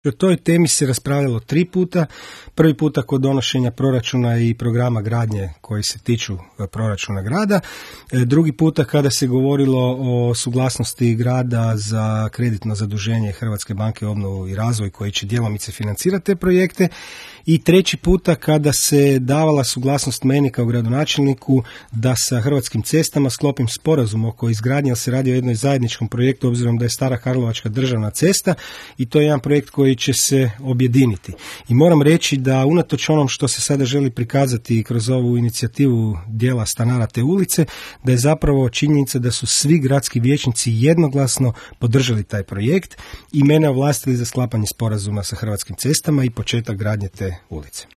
O toj temi se raspravljalo 3 puta. Prvi puta kod donošenja proračuna i programa gradnje koji se tiču proračuna grada. Drugi puta kada se govorilo o suglasnosti grada za kreditno zaduženje Hrvatske banke obnovu i razvoj koji će djelomice financirati te projekte. I treći puta kada se davala suglasnost meni kao gradonačelniku da sa Hrvatskim cestama sklopim sporazum oko izgradnje, jer se radi o jednom zajedničkom projektu obzirom da je Stara Karlovačka državna cesta i to je jedan projekt koji će se objediniti. I moram reći da unatoč onom što se sada želi prikazati kroz ovu inicijativu dijela stanara te ulice, da je zapravo činjenica da su svi gradski vijećnici jednoglasno podržali taj projekt i mene ovlastili za sklapanje sporazuma sa Hrvatskim cestama i početak gradnje te ulice.